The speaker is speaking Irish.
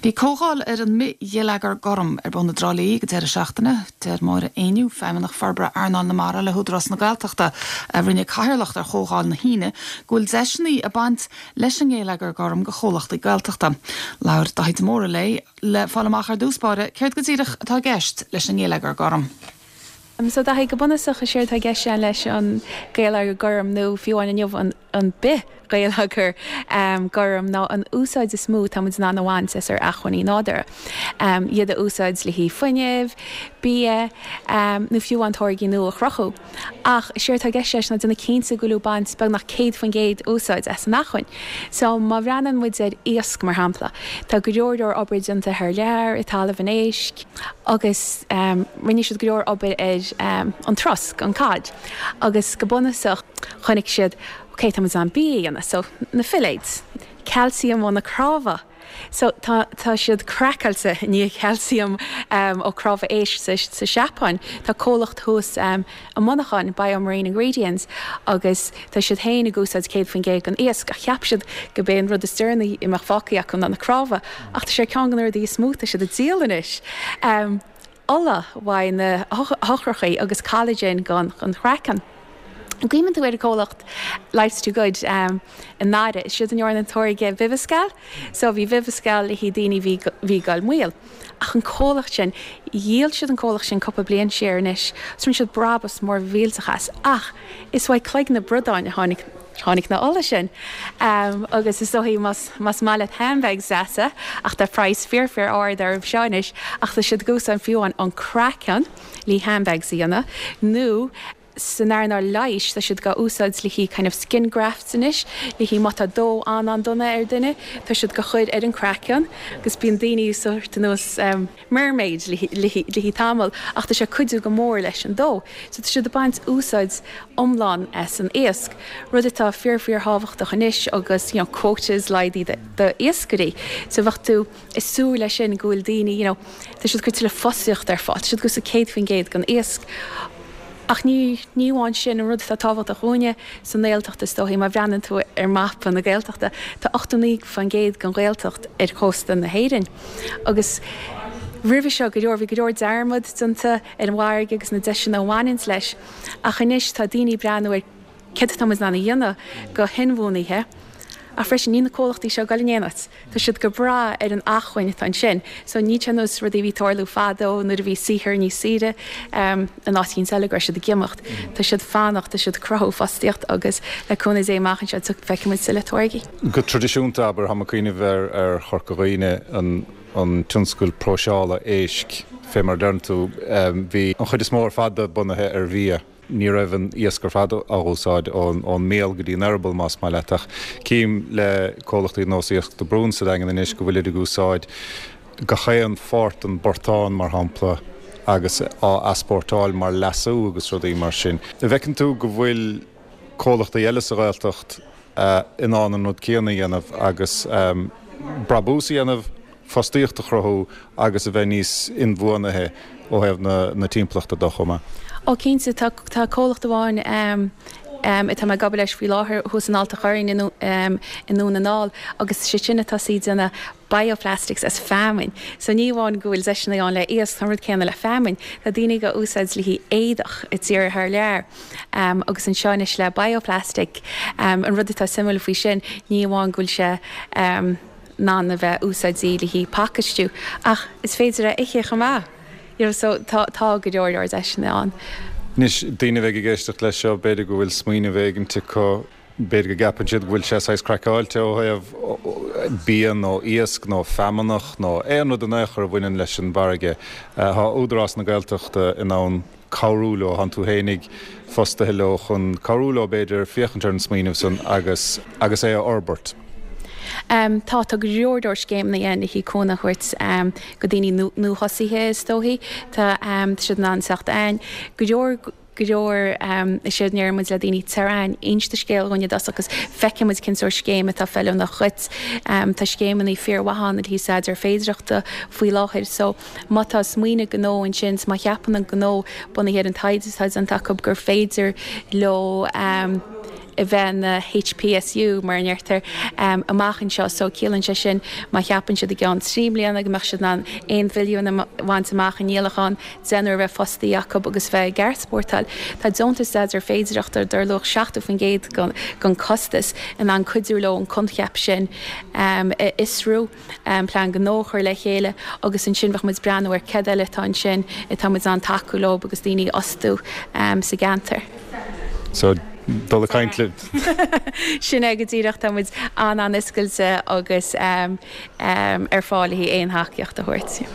Bhí comhdháil ar an mbithgheilleagar gorm ar bun i dTrá Lí ag an deireadh seachtaine. Deir Máire Éinniú, Feidhmeannach Forbartha Earnáil na Mara le hÚdarás na Gaeltachta, a rinne cathaoirleacht ar chomhdháil na hAoine, go bhfuil deiseanna ag baint leis an ngeilleagar gorm do chomhlachtaí Gaeltachta. Labhair Daithí de Mórdha léi le fáil amach ar dtús báire céard go díreach atá i gceist leis an ngeilleagar gorm. So Daithí, go bunúsach is éard atá i gceist leis an gheilleagar gorm nó fiú amháin inniu an bithgheilleagar gorm ná an úsáid is mó atá muid in ann a bhaint as ár acmhainní nádúrtha. Iad a úsáid le haghaidh fuinnimh, bia nó fiú amháin táirgí nua a chruthú. Ach is éard atá i gceist leis ná déanamh cinnte go bhfuil tú ag baint beagnach 100% úsáid as an acmhainn. So má bhreathnaíonn muid ar iasc mar shampla, tá go leor leor obair déanta thar lear i dTalamh an Éisc, agus rinne siad go leor obair ar an trosc, an cod, agus go bunúsach chonaic siad, ok, tá muid in ann bia a dhéanamh, so na filléid, calcium ó na cnámha, so tá tá siad craiceáilte i ndiaidh calcium ó cnámha éisc sa sa Seapáin, tá comhlacht thuas i Muineachán, Biomarine Ingredients, agus tá siad féin ag úsáid 100% den iasc, ach cheap siad go b'é an rud is deireanaí a mbeadh fágtha acu ná na cnámha, ach tá sé ar ceann de na rudaí is mó atá siad ag díol anois. Ola uaidh na heochracha agus collagen don chraiceann. An gcuimhníonn tú ar an gcomhlacht Life's Too Good i nDoire? Is iad a ndearna an táirge Viviscal. So bhí Viviscal le haghaidh daoine a bhí bhí ag goil maol. Ach an comhlacht sin, dhíol siad an comhlacht sin cúpla bliain siar anois agus rinne siad brabús mór millteach as. Ach is uaidh cloigne bradáin a tháinig tháinig na ola sin. Agus is dóichí más más maith leat handbags deasa, ach tá praghas fíor fíor ard orthu seo anois, ach tá siad ag úsáid fiú amháin an craiceann le handbags a dhéanamh nó San earnáil leighis, tá siad dhá úsáid le haghaidh kind of skin grafts anois, le haghaidh má tá dó an-an-dona ar duine, tá siad dhá chur ar an craiceann agus bíonn daoine sórt ar nós mermaid le haghaidh tamall ach tá sé ag cuidiú go mór leis an dó. So tá siad ag baint úsáid iomlán as an iasc, rud atá fíor fíor thábhachtach anois agus you know quotas laghdaithe do iascairí. So bheadh tú ag súil leis sin go bhfuil daoine you know tá siad ag cur tuilleadh fostaíochta ar fáil, tá siad ag úsáid 100% den iasc. Ach ní ní amháin sin, an rud atá tábhachtach dhúinne sa nGaeltacht is dóichí, má bhreathnaíonn tú ar mapa na Gaeltachta, tá 89% den Ghaeltacht ar chósta na hÉireann. Agus roimhe seo go leor, bhí go leor dearmad déanta ar an bhfarraige agus na deiseanna a bhaineanns leis. Ach anois tá daoine ag breathnú ar céard atá muid in ann a dhéanamh go hinbhuanaithe. Ach freisin, níl na comhlachtaí seo ag goil in aon áit. Tá siad go breá ar an acmhainn atá ansin. So níl sé ar nós rudaí a bhí ag tarlú fadó nuair a bhí saothar níos saoire in áit éicint eile go raibh siad ag imeacht. Tá siad ag fanacht, tá siad ag cruthú fostaíocht agus le cúnamh Dé amach anseo feicfidh muid tuilleadh táirgí. Go traidisiúnta, abair, tá mé ag cuimhneamh ar Chorca Dhuibhne, an tionscal próiseála éisc, fé mar a deireann tú, bhí an chuid is mó ar fad de bunaithe ar bhia. Ní raibh an iasc ar fad á úsáid ón mbéal go dtí an eireaball, más maith leat, ach cím le comhlachtaí ar nós Iasc de Brún sa Daingean anois go bhfuilid ag úsáid gach aon pháirt den bportán, mar shampla, agus á easpórtáil mar leasú agus rudaí mar sin. An bhfeiceann tú go bhfuil comhlachtaí eile sa Ghaeltacht in ann an rud céanna a dhéanamh agus brabús a dhéanamh? fostaíocht a chruthú agus a bheith níos inbhuanaithe ó thaobh na timpeallachta de chomh maith. Ó cinnte, tá tá comhlacht amháin atá mé ag obair leis faoi láthair thuas in Ailt a' Chorráin i nDún na nGall agus is iad sin atá ag déanamh bioplastics as feamainn. So ní amháin go bhfuil deiseanna ann le iasc, tá an rud céanna le feamainn. Tá daoine ag úsáid le haghaidh éadach i dtíortha thar lear agus anseo anois le bioplastic. An rud atá suimiúil faoi sin, ní amháin go bhfuil sé in ann a bheith úsáidte le haghaidh pacáistiú ach is féidir é a ithe chomh maith you know so tá tá go leor leor deiseanna ann. Anois, daoine a bheidh ag éisteacht leis seo, b'fhéidir go bhfuil smaoineamh éigint acu, b'fhéidir go gceapann siad go bhfuil sé saghas craiceáilte ó thaobh bia nó iasc nó feamnach nó aon rud in aon chor a bhaineann leis an bhfarraige. Tá Údarás na Gaeltachta in ann cabhrú leo, tánn tú fhéinig fostaithe leo chun cabhrú leo, b'fhéidir, féachaint ar an smaoineamh san agus agus é a fhorbairt. Tá, tá go leor leor scéimeanna ann le haghaidh cúnamh a thabhairt go daoine nuathosaithe is dóichí. Tá siad in ann teacht a'ainn. Go leor, go leor, is éard a ndeireann muid le daoine, tar a'ainn, inis do scéal dhúinn i dtosach agus feicfidh muid cén sórt scéim atá feiliúnach dhuit. Tá scéimeanna fíormhaith ann le haghaidh staidéar féidearthachta faoi láthair so, Má tá smaoineamh gnó ansin, 's má cheapann an gnó, bunaithe ar an taighde atá déanta acu, gur féidir leo. A bheith ina HPSU, mar a ndeirtear, amach anseo. So, ciallaíonn sé sin, má cheapann siad i gceann 3 mbliana go mbeadh siad in ann 1 mhilliún a bhaint amach i ndíolachán, deichniúr a bheith fostaithe acu agus bheith ag easpórtáil. Tá deontas staidéar féidearthachta dar luach 70% den costas in ann cuidiú leo an coincheap sin a fhiosrú. plean gnó a chur le chéile agus ansin bheadh muid ag breathnú ar céard eile atá ansin atá muid in ann tacú leo agus daoine a fhostú sa gceantar. So, dul ag caint libh. Sin é go díreach, tá muid an-an-oscailte agus ar fáil le haghaidh aon thacaíocht a thabhairt.